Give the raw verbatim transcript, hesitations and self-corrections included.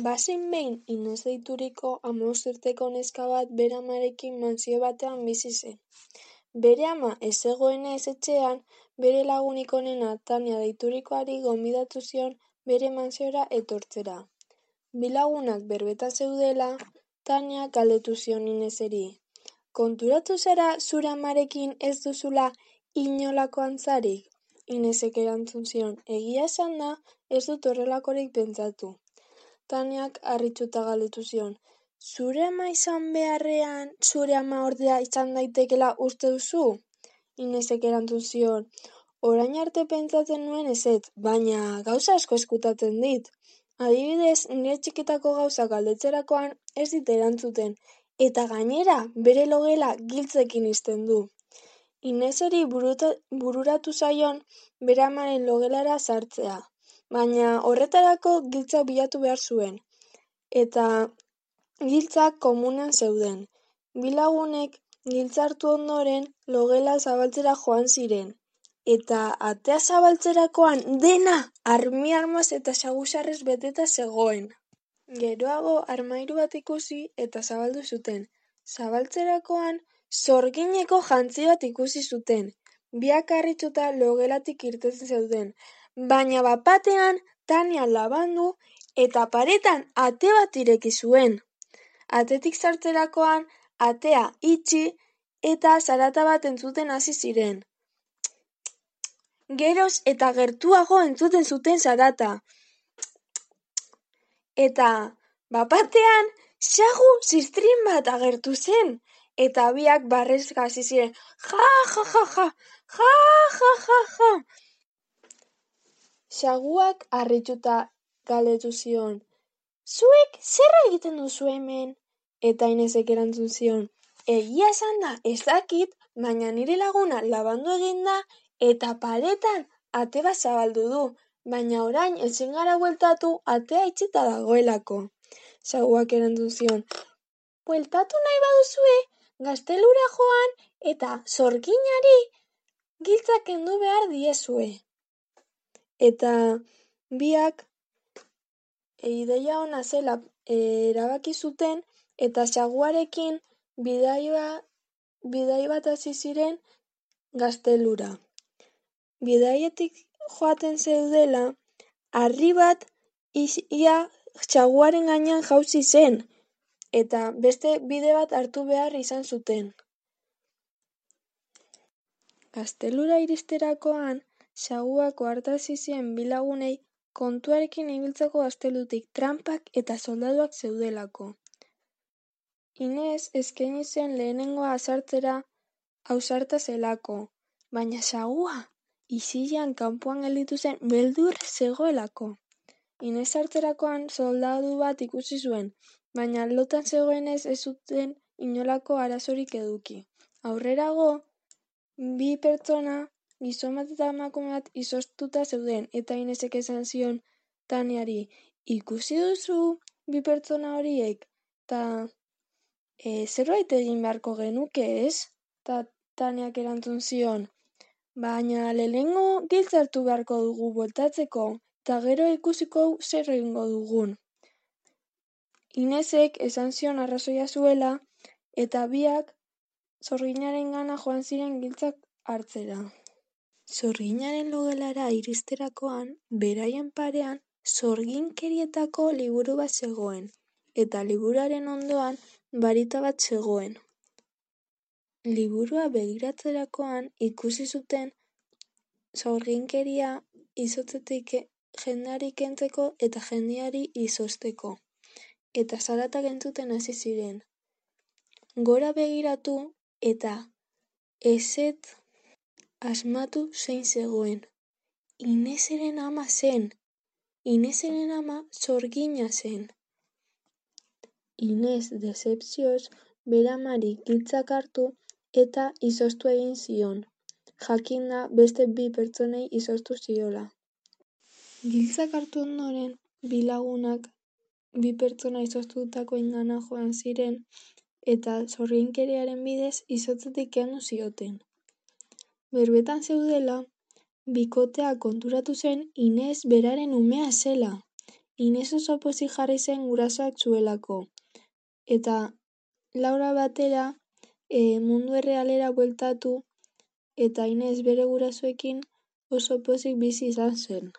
Bazen behin Ines deituriko hamabost urteko neska bat bere amarekin mantsio batean bizi zen. Bere ama ez zegoenez etxean, bere lagunik onena Tania deiturikoari gonbidatu zion bere mantsiora etortzera. Bi lagunak berbetan zeudela, Tania galdetu zion Ineseri: "Konturatu zara zure amarekin ez duzula inolako antzarik?" Inesek erantzun zion: "Egia esanda, ez dut horrelakorik pentsatu." Taniak harrituta galdetu zion: "Zure ama izan beharrean, zure ama ordea izan daitekeela uste duzu?" Inesek erantzun zion: "Orain arte pentsatzen nuen ezetz, baina gauza asko ezkutatzen dit. Adibidez, nire txikitako gauzak galdetzerakoan ez dit erantzuten, eta gainera bere logela giltzekin ixten du." Ineseri buruta, bururatu zaion bere amaren logelara sartzea, baina horretarako giltzak bilatu behar zuen, eta giltzak komunean zeuden. Bi lagunek giltza hartu ondoren logela zabaltzera joan ziren, eta atea zabaltzerakoan dena armi-armaz eta saguzarrez beteta zegoen. Geroago armairu bat ikusi eta zabaldu zuten. Zabaltzerakoan sorgineko jantzi bat ikusi zuten. Biak harrituta logelatik irteten zeuden, baina bat-batean Tania labandu eta paretan ate bat ireki zuen. Atetik sartzerakoan atea itxi eta zarata bat entzuten hasi ziren. Geroz eta gertuago entzuten zuten zarata. Eta bat-batean sagu ziztrin bat agertu zen, eta biak barrez hasi ziren. Ja, ja, ja, ja, ja, ja, ja, ja. Saguak harrituta galdetu zion: "Zuek zer egiten duzu hemen?" Eta Inesek erantzun zion: "Egia esanda ez dakit, baina nire laguna labandu egin da eta paretan ate bat zabaldu du, baina orain ezin gara bueltatu atea itxita dagoelako." Saguak erantzun zion: "Bueltatu nahi baduzue, gaztelura joan eta sorginari giltzak kendu behar diezue." Eta biak ideia ona zela erabaki zuten eta saguarekin bidai bat, bidai bat hasi ziren gaztelura. Bidaietik joaten zeudela, harri bat ia saguaren gainean jauzi zen, eta beste bide bat hartu behar izan zuten. Gaztelura iristerakoan, saguak ohartarazi zien bi lagunei kontuarekin ibiltzeko gaztelutik tranpak eta soldaduak zeudelako. Ines eskaini zen lehenengoa sartzera ausarta zelako, baina sagua isilean kanpoan gelditu zen beldurrez zegoelako. Ines sartzerakoan soldadu bat ikusi zuen, baina lotan zegoenez ez zuten inolako arazorik eduki. Aurrerago, bi pertsona, gizon bat eta emakume bat izoztuta zeuden, eta Inesek esan zion Taniari: "Ikusi duzu bi pertsona horiek, eta e, zerbait egin beharko genuke, ez?" Ta Taniak erantzun zion: "Baina lehenengo giltza hartu beharko dugu bueltatzeko, eta gero ikusiko zer egingo dugun." Inesek esan zion arrazoia zuela, eta biak sorginaren gana joan ziren giltzak hartzera. Sorginaren logelara iristerakoan, beraien parean sorginkerietako liburu bat zegoen, eta liburuaren ondoan barita bat zegoen. Liburua begiratzerakoan ikusi zuten sorginkeria izotzetik jendeari kentzeko eta jendeari izozteko, eta zaratak entzuten hasi ziren. Gora begiratu eta ezetz asmatu zein zegoen. Ineseren ama zen. Ineseren ama sorgina zen. Ines dezepzioz bere amari giltzak hartu eta izoztu egin zion. Jakinda beste bi pertsonei izoztu ziola. Giltzak hartu ondoren, bi lagunak bi pertsona izoztutakoengana joan ziren eta sorginkeriaren bidez izotzetik kendu zioten. Berbetan zeudela, bikotea konturatu zen Ines beraren umea zela, Ines oso pozik jarri zen gurasoak zuelako, eta Laura batera e, mundu errealera bueltatu, eta Ines bere gurasoekin oso pozik bizi izan zen.